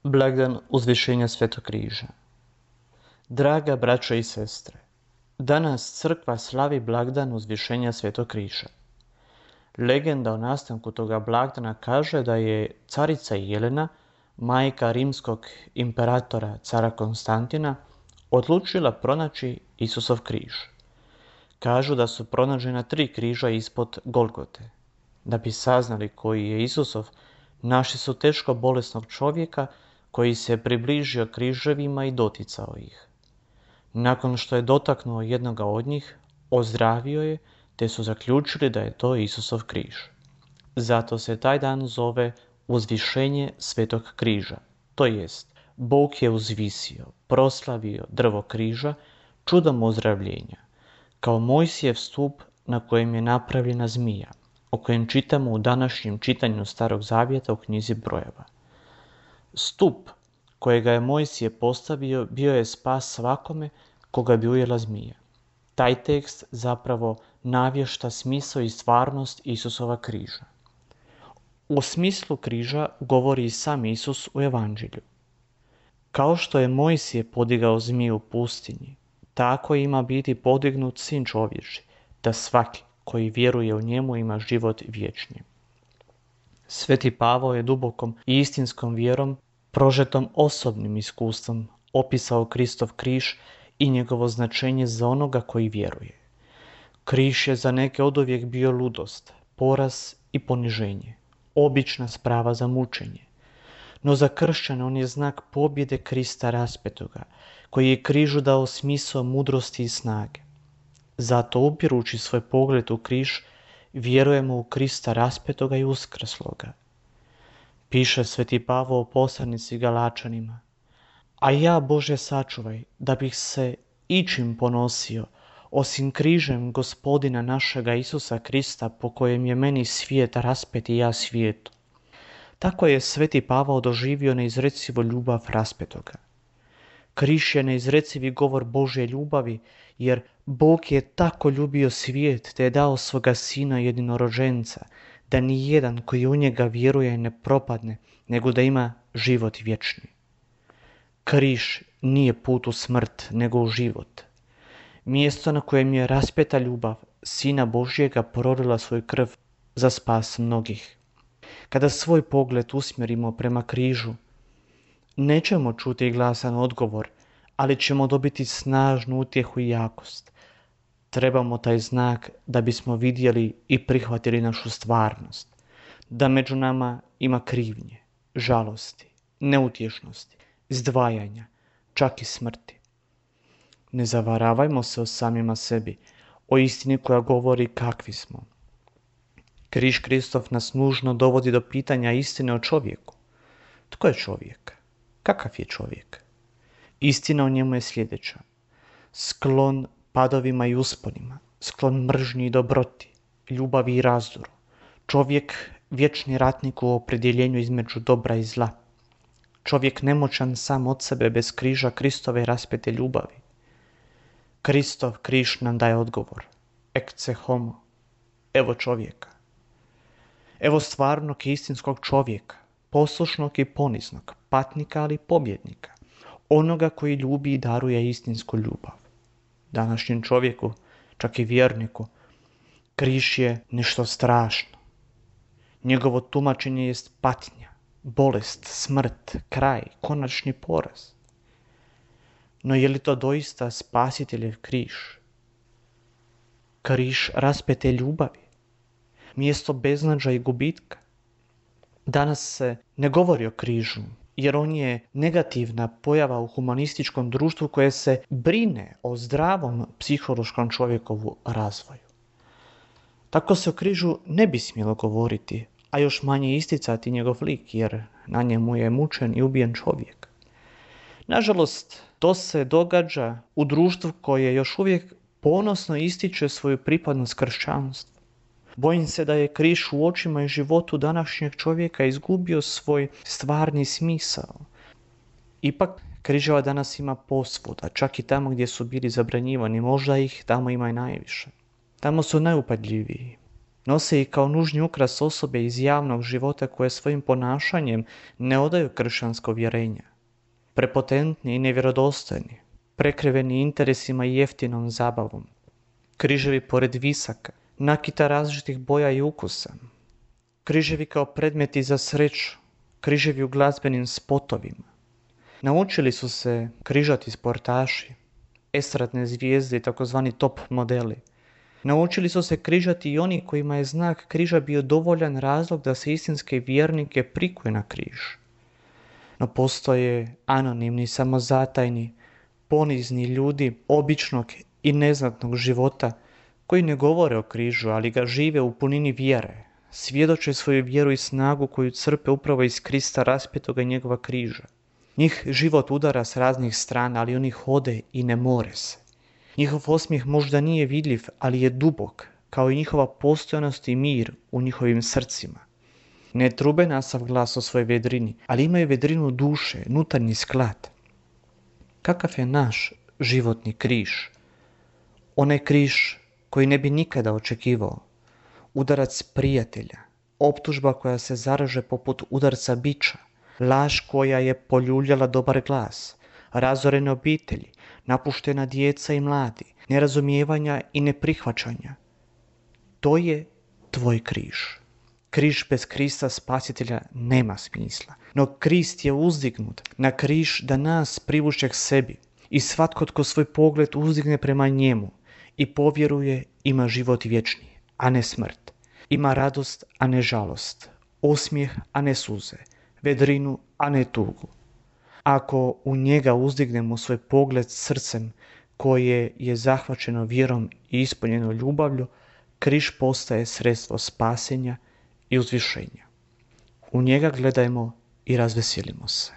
Blagdan uzvišenja Svetog križa. Draga braćo i sestre, danas crkva slavi blagdan uzvišenja Svetog križa. Legenda o nastanku toga blagdana kaže da je carica Jelena, majka rimskog imperatora cara Konstantina, odlučila pronaći Isusov križ. Kažu da su pronađena 3 križa ispod Golgote. Da bi saznali koji je Isusov, našli su teško bolesnog čovjeka koji se približio križevima i doticao ih. Nakon što je dotaknuo jednoga od njih, ozdravio je, te su zaključili da je to Isusov križ. Zato se taj dan zove uzvišenje Svetog križa, to jest Bog je uzvisio, proslavio drvo križa čudom ozdravljenja, kao Mojsijev stup na kojem je napravljena zmija, o kojem čitamo u današnjem čitanju Starog zavjeta u knjizi Brojeva. Stup kojega je Mojsije postavio bio je spas svakome koga bi ujela zmija. Taj tekst zapravo navješta smisao i stvarnost Isusova križa. O smislu križa govori i sam Isus u Evanđelju. Kao što je Mojsije podigao zmiju u pustinji, tako ima biti podignut Sin čovječji, da svaki koji vjeruje u njemu ima život vječni. Sveti Pavao je dubokom i istinskom vjerom, prožetom osobnim iskustvom, opisao Kristov križ i njegovo značenje za onoga koji vjeruje. Križ je za neke oduvijek bio ludost, poraz i poniženje, obična sprava za mučenje. No za kršćane on je znak pobjede Krista raspetoga, koji je križu dao smisao mudrosti i snage. Zato upirući svoj pogled u križ, vjerujemo u Krista raspetoga i uskrsloga. Piše Sveti Pavao u poslanici Galačanima: a ja, Bože, sačuvaj, da bih se ičim ponosio, osim križem Gospodina našega Isusa Krista, po kojem je meni svijet raspet i ja svijetu. Tako je Sveti Pavao doživio neizrecivu ljubav raspetoga. Križ je neizrecivi govor Božje ljubavi, jer Bog je tako ljubio svijet, te je dao svoga Sina jedinorođenca, da ni jedan koji u njega vjeruje ne propadne, nego da ima život vječni. Križ nije put u smrt, nego u život. Mjesto na kojem je raspeta ljubav Sina Božjega prolila svoju krv za spas mnogih. Kada svoj pogled usmjerimo prema križu, nećemo čuti glasan odgovor, ali ćemo dobiti snažnu utjehu i jakost. Trebamo taj znak da bismo vidjeli i prihvatili našu stvarnost, da među nama ima krivnje, žalosti, neutješnosti, izdvajanja, čak i smrti. Ne zavaravajmo se o samima sebi, o istini koja govori kakvi smo. Križ Kristov nas nužno dovodi do pitanja istine o čovjeku. Tko je čovjek? Kakav je čovjek? Istina o njemu je sljedeća: sklon padovima i usponima, sklon mržnji i dobroti, ljubavi i razdoru. Čovjek vječni ratnik u opredjeljenju između dobra i zla. Čovjek nemoćan sam od sebe bez križa Kristove raspete ljubavi. Kristov križ nam daje odgovor: ecce homo, evo čovjeka. Evo stvarnog i istinskog čovjeka, poslušnog i poniznog, patnika ali pobjednika, onoga koji ljubi i daruje istinsku ljubav. Današnjem čovjeku, čak i vjerniku, križ je nešto strašno. Njegovo tumačenje jest patnja, bolest, smrt, kraj, konačni poraz. No je li to doista Spasiteljev križ? Križ raspete ljubavi, mjesto beznađa i gubitka. Danas se ne govori o križu, jer on je negativna pojava u humanističkom društvu koje se brine o zdravom psihološkom čovjekovu razvoju. Tako se o križu ne bi smjelo govoriti, a još manje isticati njegov lik, jer na njemu je mučen i ubijen čovjek. Nažalost, to se događa u društvu koje još uvijek ponosno ističe svoju pripadnost kršćanstvu. Bojim se da je križ u očima i životu današnjeg čovjeka izgubio svoj stvarni smisao. Ipak, križeva danas ima posvuda, čak i tamo gdje su bili zabranjivani, možda ih tamo ima i najviše. Tamo su najupadljiviji. Nose ih kao nužni ukras osobe iz javnog života koje svojim ponašanjem ne odaju kršćansko vjerenje. Prepotentni i nevjerodostojni, prekriveni interesima i jeftinom zabavom. Križevi pored visaka, nakita različitih boja i ukusa. Križevi kao predmeti za sreću, križevi u glazbenim spotovima. Naučili su se križati sportaši, estradne zvijezde i takozvani top modeli. Naučili su se križati i oni kojima je znak križa bio dovoljan razlog da se istinske vjernike prikuje na križ. No postoje anonimni, samozatajni, ponizni ljudi običnog i neznatnog života koji ne govore o križu, ali ga žive u punini vjere, svjedoče svoju vjeru i snagu koju crpe upravo iz Krista raspetoga i njegova križa. Njih život udara s raznih strana, ali oni hode i ne more se. Njihov osmijeh možda nije vidljiv, ali je dubok, kao i njihova postojanost i mir u njihovim srcima. Ne trube na sav glas o svojoj vedrini, ali imaju vedrinu duše, nutarnji sklad. Kakav je naš životni križ? Onaj križ koji ne bi nikada očekivao. Udarac prijatelja, optužba koja se zaraže poput udarca biča, laž koja je poljuljala dobar glas, razorene obitelji, napuštena djeca i mladi, nerazumijevanja i neprihvaćanja. To je tvoj križ. Križ bez Krista spasitelja nema smisla, no Krist je uzdignut na križ da nas privuče k sebi i svatko tko svoj pogled uzdigne prema njemu i povjeruje ima život vječni, a ne smrt. Ima radost, a ne žalost, osmijeh, a ne suze, vedrinu, a ne tugu. Ako u njega uzdignemo svoj pogled srcem koje je zahvaćeno vjerom i ispunjeno ljubavlju, križ postaje sredstvo spasenja i uzvišenja. U njega gledajmo i razveselimo se.